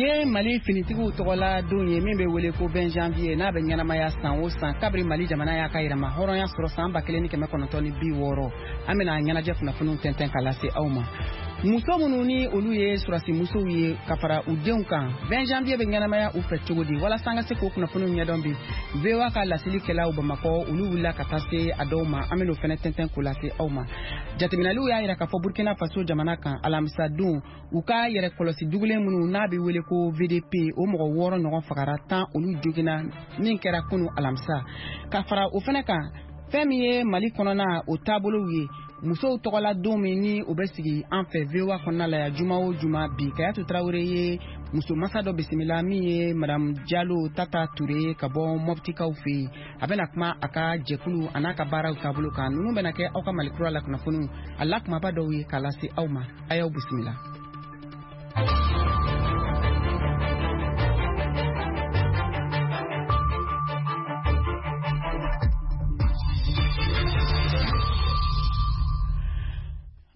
Bi ye Mali finitigiw tɔgɔla don ye min bɛ wele ko 20 janvier, n'a bɛ ɲɛnamaya san o san kabiri Mali jamana y'a ka yɛrɛma hɔrɔnya sɔrɔ san 1960. An bɛna ɲɛnajɛ kunnafoniw tɛntɛn ka lase aw ma. Muso minnu ni olu ye sɔrɔdasi musow ye ka fara u denw kan, 20 janvier bɛ ɲɛnamaya u fɛ cogo di? Walasa an ka se k'o kunnafoniw ɲɛdɔn bi, VOA ka lasilikɛlaw Bamakɔ, olu wulila ka taa se a dɔw ma. An bɛn'o fɛnɛ tɛntɛn k'o lase aw ma. Jateminɛliw y'a yira k'a fɔ Burkina Faso jamana kan, alamisa don, u ka yɛrɛ kɔlɔsi dugulen minnu n'a bɛ wele ko VDP, o mɔgɔ 6 ɲɔgɔn fagara, 10 olu joginna min kɛra kunu alamisa. Ka fara o fɛnɛ kan, fɛn min ye Mali kɔnɔna o taabolow ye, musow tɔgɔla don min ni o bɛ sigi an fɛ VOA kɔnɔna la yan juma o juma, bi Kayatu Tarawele ye muso masa dɔ bisimila min ye Madame Jalo Tata Ture ye ka bɔ Mɔptikaw fɛ yen. A bɛna kuma a ka jɛkulu a n'a ka baaraw taabolo kan. Ninnu bɛna kɛ aw ka Mali kura la kunnafoniw a la kumaba dɔw ye k'a lase aw ma. A y'aw bisimila.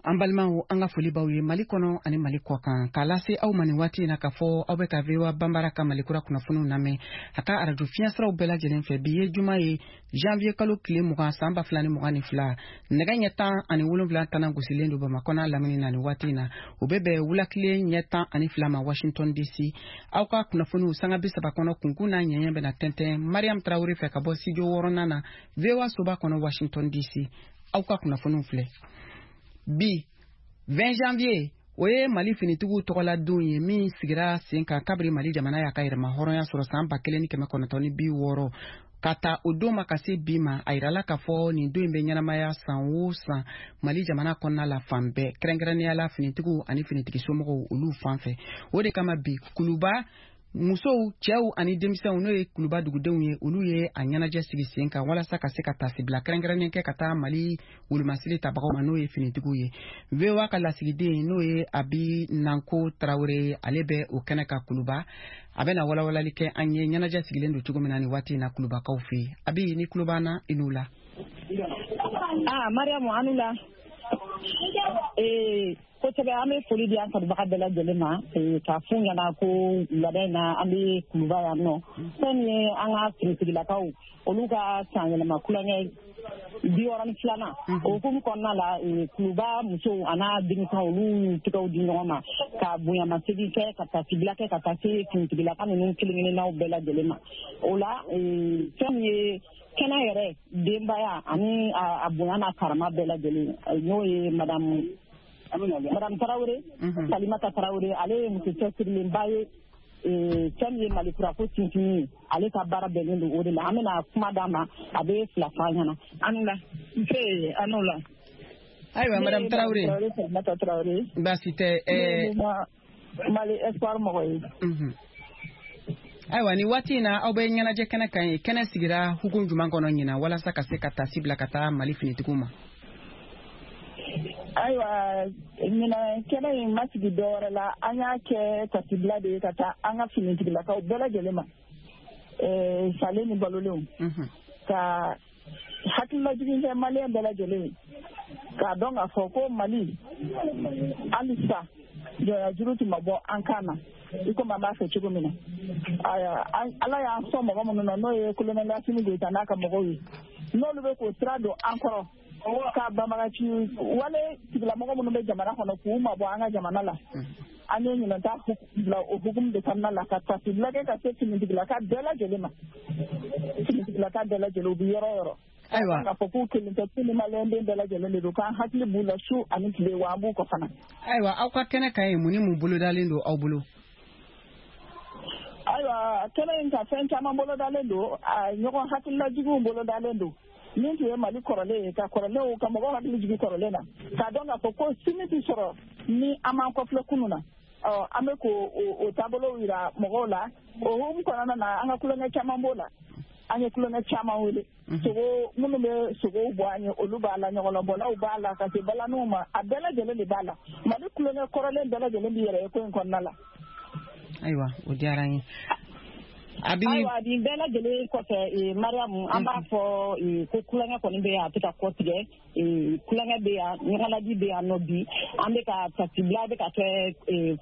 An balimaw, an ka foli b'aw ye Mali kɔnɔ ani Mali kɔ kan, k'a lase aw ma nin waati in na k'a fɔ aw bɛ ka VOA Banbara ka Mali kura kunnafoniw lamɛn a ka arajo fiɲɛsiraw bɛɛ lajɛlen fɛ. Bi ye juma ye, janvier kalo tile 20, san 2022. Nɛgɛ ɲɛ 17 tana gosilen don Bamakɔ n'a lamini na nin waati in na. O bɛ bɛn wulakile ɲɛ 12 ma Washington DC. Aw ka kunnafoniw sanga 30 kɔnɔ, kunkun n'a ɲɛɲɛ bɛna tɛntɛn Mariam Tarawele fɛ ka bɔ studio wɔɔrɔnan na, VOA soba kɔnɔ, Washington DC. Aw ka kunnafoniw filɛ. Bi 20 janvier, o ye Mali finitigiw tɔgɔla don ye min sigira sen kan kabiri Mali jamana y'a ka yɛrɛma hɔrɔnya sɔrɔ san 1960. Ka ta o don ma ka se bi ma, a yirala k'a fɔ nin don in bɛ ɲɛnamaya san o san Mali jamana kɔnɔna la fan bɛɛ, kɛrɛnkɛrɛnnenya la finitigiw ani finitigi somɔgɔw olu fan fɛ. O de kama bi, Kuluba musow, cɛw ani denmisɛnw, n'o ye Kuluba dugudenw ye, olu ye a ɲɛnajɛ sigi sen kan walasa ka se ka tasibila kɛrɛnkɛrɛnnen kɛ ka taa Mali wolomasiri tabagaw ma, n'o ye finitigiw ye. VOA ka lasigiden, n'o ye Abi Nanko Tarawele, ale bɛ o kɛnɛ ka Kuluba. A bɛna walawalali kɛ an ye ɲɛnajɛ sigilen don cogo min na nin waati in na Kulubakaw fɛ yen. Abi, ni tulo b'an na, i n'u la. Ah, Mariamu, an la. Kosɛbɛ, an bɛ foli di an kanubaga bɛɛ lajɛlen ma k'a f'u ɲɛna ko wulada in na, an bɛ Kuluba yan nɔ. Fɛn min ye an ka finitigilakaw olu ka san yɛlɛma kulonkɛ 62, o hukumu kɔnɔna la, Kuluba musow a n'a denmisɛnw, olu y'u tɛgɛw di ɲɔgɔn ma ka bonyamasegin kɛ, ka tasibila kɛ ka taa se finitigilaka ninnu kelen kelennaw bɛɛ lajɛlen ma. O la, fɛn min ye kɛnɛ yɛrɛ denbaya ani a bonya n'a karama bɛɛ lajɛlen, n'o ye madame Tarawele, Salimata Tarawele, ale ye muso cɛsirilenba ye. Fɛn min ye Mali kura ko sinsinni ye, ale ka baara bɛnnen don o de la. An bɛna kuma d'a ma, a bɛ fila fɔ an ɲɛna. An la. Nse, an la. Ayiwa, madame Tarawele. Salimata Tarawele. Baasi tɛ. Mali Espoir mɔgɔ ye. Ayiwa, nin waati in na, aw bɛ ɲɛnajɛ kɛnɛ kan ye. Kɛnɛ sigira hukumu jumɛn kɔnɔ ɲinan walasa ka se ka tasi bila ka taa Mali finitigiw ma? Ayiwa, ɲinan kɛnɛ in ma sigi dɔwɛrɛ la, an y'a kɛ tasibila de ye ka taa an ka finitigilakaw bɛɛ lajɛlen ma, salen ni balolenw, ka hakililajigin kɛ maliyɛn bɛɛ lajɛlen ye k'a dɔn k'a fɔ ko Mali halisa jɔnya juru tun ma bɔ an kan na i komi an b'a fɛ cogo min na. Ayiwa, Ala y'an sɔn mɔgɔ minnu na, n'o ye colonel Asimi Goyita n'a ka mɔgɔw ye, n'olu bɛ k'o sira don an kɔrɔ ka banbagaci wale tigilamɔgɔ minnu bɛ jamana kɔnɔ k'u mabɔ an ka jamana la. An ye ɲinan ta bila o hukumu de kɔnɔna la, ka tasibila kɛ ka se finitigilaka bɛɛ lajɛlen ma, finitigilaka bɛɛ lajɛlen, u bɛ yɔrɔ o yɔrɔ. Ayiwa. K'a fɔ k'u kelen tɛ, k'u ni maliyɛnden bɛɛ lajɛlen de don, k'an hakili b'u la su ani tile, wa an b'u kɔ fana. Ayiwa, aw ka kɛnɛ kan yen, mun ni mun bolodalen don aw bolo? Ayiwa, kɛnɛ in ka fɛn caman bolodalen don. A ɲɔgɔn hakililajiginw bolodalen don. Min tun ye Mali kɔrɔlen ye, ka kɔrɔlenw ka mɔgɔw hakili jigin kɔrɔlen na, k'a dɔn k'a fɔ ko sini tɛ sɔrɔ ni an m'an kɔfilɛ kunun na. Ɔ, an bɛ k'o o taabolow yira mɔgɔw la. O hukumu kɔnɔna na, an ka kulonkɛ caman b'o la. An ye kulonkɛ caman wele, sogo minnu bɛ sogow bɔ an ye, olu b'a la, ɲɔgɔlɔnbɔlaw b'a la, ka se balaniw ma, a bɛɛ lajɛlen de b'a la. Mali kulonkɛ kɔrɔlen bɛɛ lajɛlen b'i yɛrɛ ye ko in kɔnɔna la. Ayiwa, o diyara n ye. Ayiwa, nin bɛɛ lajɛlen kɔfɛ, Mariamu, an b'a fɔ ko kulonkɛ kɔni bɛ yan, a tɛ ka kɔ tigɛ. Kulonkɛ bɛ yan, ɲɔgɔnladi bɛ yan nɔ bi. An bɛ ka tasibila bɛ ka kɛ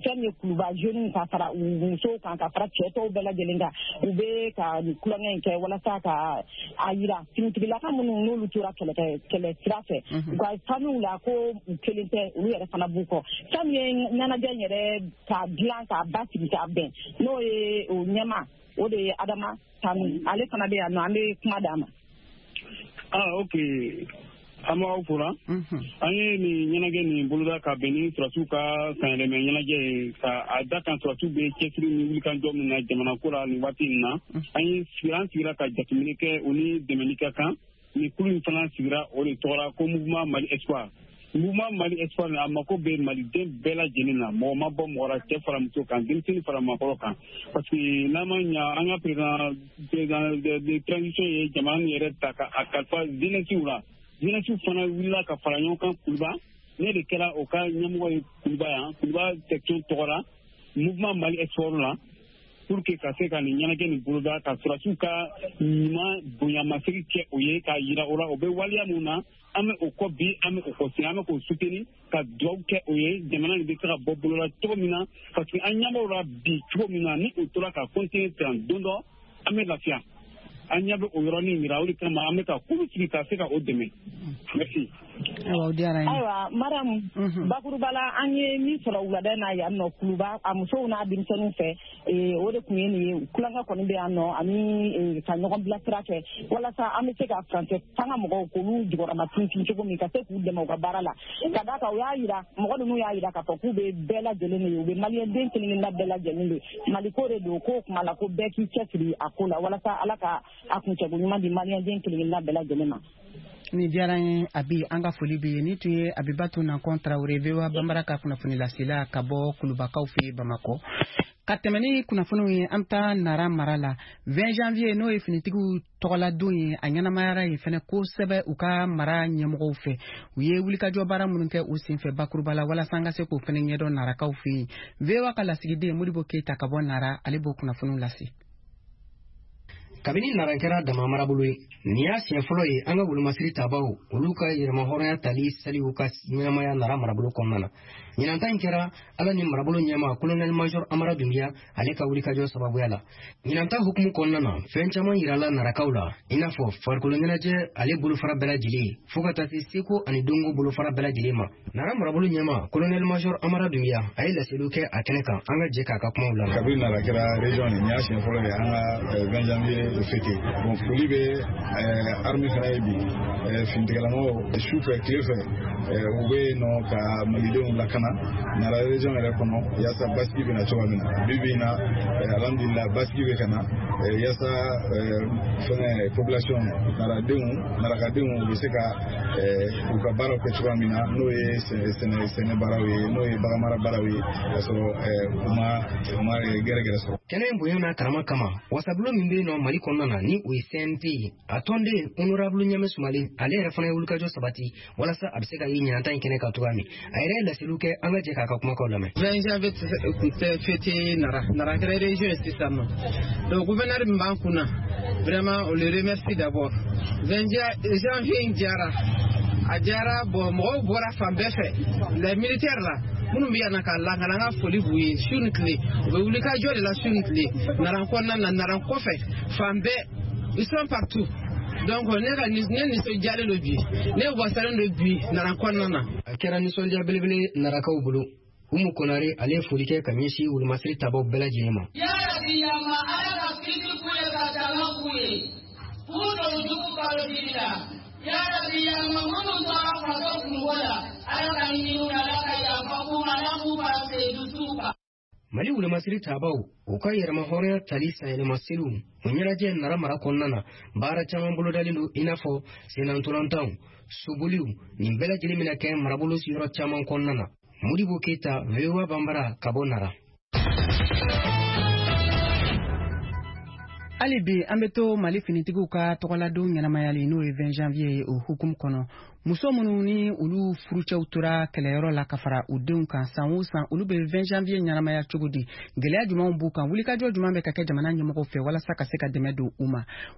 fɛn min ye Kuluba jeunes ka fara musow kan, ka fara cɛ tɔw bɛɛ lajɛlen kan. U bɛ ka nin kulonkɛ in kɛ walasa ka a yira finitigilaka minnu n'olu tora kɛlɛ kɛlɛ sira fɛ, u ka famille la, ko u kelen tɛ, olu yɛrɛ fana b'u kɔ. Fɛn min ye ɲɛnajɛ in yɛrɛ k'a dilan k'a basigi k'a bɛn, n'o ye o ɲɛma, o de ye Adama Tanu, ale fana bɛ yan nɔ, an bɛ kuma d'a ma. Ah, ok, an b'aw fora. An ye nin ɲɛnajɛ nin boloda ka bɛn ni surasiw ka sanyɛlɛmɛ ɲɛnajɛ ye, ka a da kan surasiw bɛ cɛsiri ni wulikajɔ min na jamana ko la nin waati in na. An ye an sigira ka jateminɛ kɛ, o ni dɛmɛni ka kan. Nin kulu in fana sigira, o de tɔgɔra ko Mouvement Mali Espoir. Mouvement Mali Espoir, a mako bɛ maliden bɛɛ lajɛlen na, mɔgɔ ma bɔ mɔgɔ la, cɛ fara muso kan, denmisɛnnin fara maakɔrɔ kan, parce que n'an ma ɲa, an ka président de transition ye jamana nin yɛrɛ ta ka a kalifa jeunesse la. Jeunesse fana wulila ka fara ɲɔgɔn kan Kuluba. Ne de kɛra o ka ɲɛmɔgɔ ye Kuluba yan, Kuluba section tɔgɔ la, Mouvement Mali Espoir la, pour que ka se ka nin ɲɛnajɛ nin boloda, ka surasiw ka ɲuman bonyamasegi kɛ o ye, k'a yira o la o bɛ waleya mun na, an bɛ o kɔ bi, an bɛ o kɔ sini, an bɛ k'o soutenir, ka dugawu kɛ o ye, jamana nin bɛ se ka bɔ bolo la cogo min na, parce que an ɲɛ b'o la bi cogo min na, ni o tora ka continuer ten, don dɔ an bɛ lafiya. An ɲɛ bɛ o yɔrɔnin yira, o de kama an bɛ ka kulu sigi ka se ka o dɛmɛ. Merci. Ayiwa, o diyara n ye. Ayiwa Mariam, bakuruba la, an ye min sɔrɔ wulada in na yan nɔ Kuluba, a musow n'a denmisɛnninw fɛ, o de tun ye nin ye. Kulonkɛ kɔni bɛ yan nɔ, ani ka ɲɔgɔn bilasira kɛ walasa an bɛ se ka furancɛ fanga mɔgɔw k'olu jukɔrɔma tintin cogo min, ka se k'u dɛmɛ u ka baara la. Ka d'a kan, u y'a yira, mɔgɔ ninnu y'a yira k'a fɔ k'u bɛ bɛɛ lajɛlen de ye, u bɛ maliyɛnden kelen kelenna bɛɛ lajɛlen de. Maliko de don, k'o kuma la ko bɛɛ k'i cɛsiri a ko la, walasa Ala ka a kuncɛko ɲuman di maliyɛnden kelen kelenna bɛɛ lajɛlen ma. Nin diyara n ye Abi, an ka foli bɛ ye. Ni tun ye Abibatu Nankɔn Tarawele, VOA Banbara ka kunnafoni lasela ka bɔ Kulubakaw fɛ yen Bamakɔ. Ka tɛmɛ ni kunnafoniw ye, an bɛ taa Nara mara la. 20 janvier, n'o ye finitigiw tɔgɔladon ye, a ɲɛnamayara yen fɛnɛ kosɛbɛ u ka mara ɲɛmɔgɔw fɛ. U ye wulikajɔ baara minnu kɛ u senfɛ bakuruba la, walasa an ka se k'o fɛnɛ ɲɛdɔn Narakaw fɛ yen. VOA ka lasigiden Modibo Keyita ka bɔ Nara, ale b'o kunnafoniw lase. Kabini Nara kɛra dama marabolo ye, nin y'a siɲɛ fɔlɔ ye an ka wolomasiri tabaw, olu ka yɛrɛmahɔrɔnya tali saliw ka ɲɛnamaya Nara marabolo kɔnɔna na. Ɲinanta in kɛra Ala ni marabolo ɲɛma Colonel Major Amara Dunbiya, ale ka wulikajɔ sababuya la. Ɲinanta hukumu kɔnɔna na, fɛn caman yirala Narakaw la, i n'a fɔ farikolo ɲɛnajɛ ale bolofara bɛɛ lajɛlen, fo ka taa se seko ani donko bolofara bɛɛ lajɛlen ma. Nara marabolo ɲɛma Colonel Major Amara Dunbiya, a ye laseliw kɛ a kɛnɛ kan. An ka jɛ k'a ka kumaw lamɛn. Kabini Nara kɛra région ye, nin y'a siɲɛ fɔlɔ ye an ka 20 janvier fêté. Bon, foli bɛ armée fana ye bi, finitigilamaw, su fɛ tile fɛ, u bɛ yen nɔ ka malidenw lakana Nara région yɛrɛ kɔnɔ, yaasa basigi bɛ na cogoya min na. Bi bi in na, alhamdulillah, basigi bɛ ka na, yaasa fɛngɛ population naradenw, narakadenw u bɛ se ka u ka baaraw kɛ cogoya min na, n'o ye sɛnɛ sɛnɛ baaraw ye, n'o ye baganmara baaraw ye, k'a sɔrɔ u ma gɛrɛgɛrɛ sɔrɔ. Kɛnɛ in bonya n'a karama kama, wasabulon min bɛ yen nɔ Mali kɔnɔna na, ni o ye CNT ye, a tɔnden Honorable Ɲame Sumalen, ale yɛrɛ fana ye wulikajɔ sabati walasa a bɛ se ka ye ɲinanta in kɛnɛ kan cogoya min. A yɛrɛ ye laseliw kɛ, an ka jɛ k'a ka kumakaw lamɛn. 20 janvier tun tɛ fêté Nara. Nara kɛra région ye sisan nɔ. Donc gouverneur min b'an kunna, vraiment, on le remercie d'abord. 20 janvier in diyara, a diyara. Bon, mɔgɔw bɔra fan bɛɛ fɛ. Les militaires là minnu bɛ yan na k'a lakana, an ka foli b'u ye su ni tile. U bɛ wuli ka jɔ de la su ni tile, Nara kɔnɔna na, Nara kɔfɛ, fan bɛɛ, ils sont partout. Donc ne ka ne nisɔndiyalen don bi, ne wasalen don bi Nara kɔnɔna na. A kɛra nisɔndiya belebele Narakaw bolo. Umu Konare, ale ye foli kɛ ka ɲɛsin wolomasiri tabaw bɛɛ lajɛlen ma. Yarabi yama, Ala ka kisi k'u ye, ka dama k'u ye, k'u don jugu balo jiri la. Yarabi yama, minnu tora faso kungo la, Ala ka ɲini u la, Ala ka yafa k'u ma, Ala k'u ka seyidu s'u kan. Mali wolomasiri tabaw u ka yɛrɛmahɔrɔnya tali sanyɛlɛma seliw o ɲɛnajɛ Nara mara kɔnɔna na, baara caman bolodalen don, i n'a fɔ sennantolantanw, soboliw, nin bɛɛ lajɛlen bɛna kɛ marabolo yɔrɔ caman kɔnɔna na. Modibo Keyita, VOA Banbara, ka bɔ Nara. Hali bi an bɛ to Mali finitigiw ka tɔgɔladon ɲɛnamayali, n'o ye 20 janvier ye, o hukumu kɔnɔ. Muso minnu ni olu furucɛw tora kɛlɛyɔrɔ la ka fara u denw kan, san o san olu bɛ 20 janvier ɲɛnamaya cogo di? Gɛlɛya jumɛnw b'u kan? Wulikajɔ jumɛn bɛ ka kɛ jamana ɲɛmɔgɔw fɛ walasa ka se ka dɛmɛ don u ma?